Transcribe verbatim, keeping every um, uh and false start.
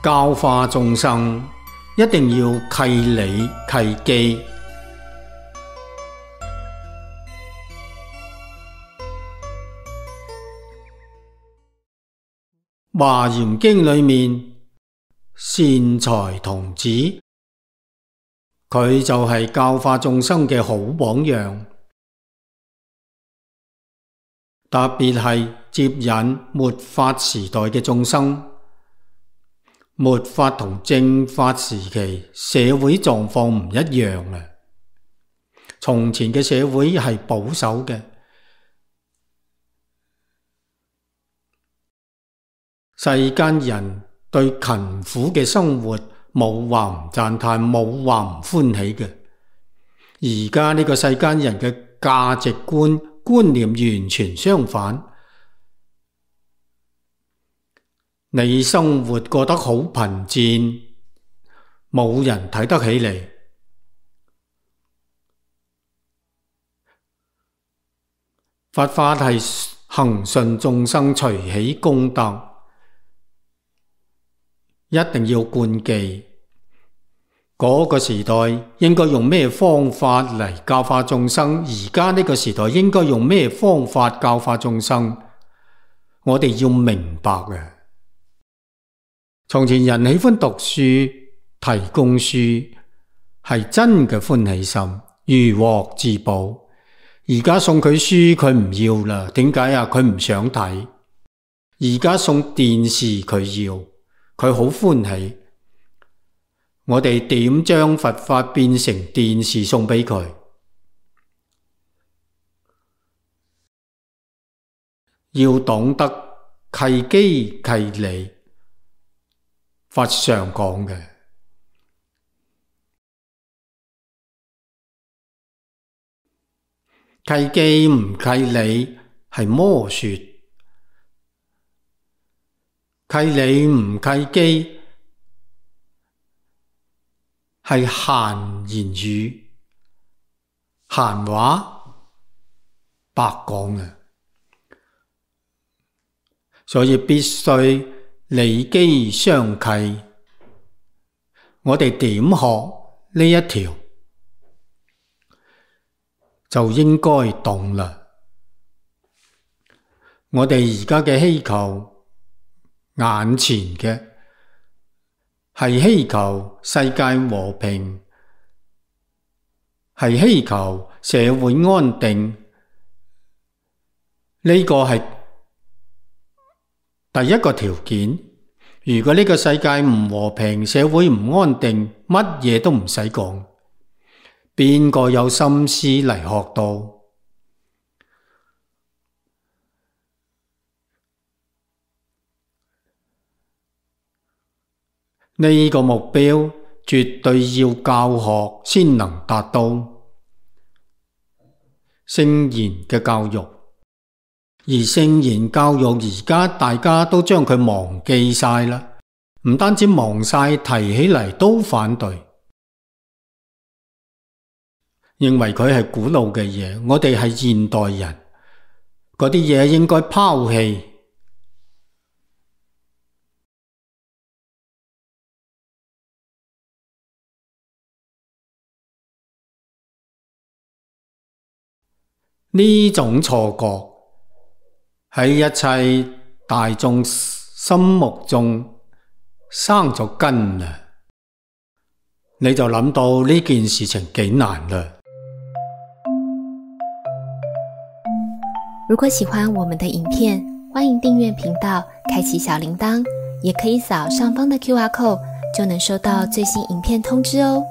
教化眾生一定要契理契機。華嚴經裏面，善財童子，佢就係教化眾生嘅好榜樣。特別係接引末法時代嘅眾生。末法同正法時期社會狀況唔一樣啊！從前嘅社會係保守嘅，世間人對勤苦嘅生活冇話唔讚嘆，冇話唔歡喜嘅。而家呢個世間人嘅價值觀觀念完全相反。你生活過得好貧賤，冇人睇得起你。佛法係恒順眾生隨喜功德，一定要貫記。嗰個時代應該用咩方法嚟教化眾生，而家呢個時代應該用咩方法教化眾生，我哋要明白嘅。從前人喜歡讀書，提供書，係真嘅歡喜心，如獲至寶。而家送佢書，佢唔要啦。點解啊？佢唔想睇。而家送電視，佢要，佢好歡喜。我哋點將佛法變成電視送俾佢？要懂得契機契理。佛上講嘅契機唔契理係魔說，契理唔契機係閒言語、閒話、白講嘅，所以必須理機相契。我哋點學呢一條就應該懂啦。我哋而家嘅希求，眼前嘅係希求世界和平，係希求社會安定，呢個係第一個條件。如果呢個世界唔和平，社會唔安定，乜嘢都唔使講，邊個有心思嚟學到？呢個目標絕對要教學先能達到。聖言嘅教育，而聖言教育而家大家都將佢忘記晒啦，唔單止忘晒，提起嚟都反對，認為佢係古老嘅嘢，我哋係現代人，嗰啲嘢應該拋棄。呢種錯覺喺一切大眾心目中生咗根啦，你就諗到呢件事情幾難啦。如果喜歡我們的影片，歡迎訂閱頻道，開啟小鈴鐺，也可以掃上方的 Q R code，就能收到最新影片通知哦。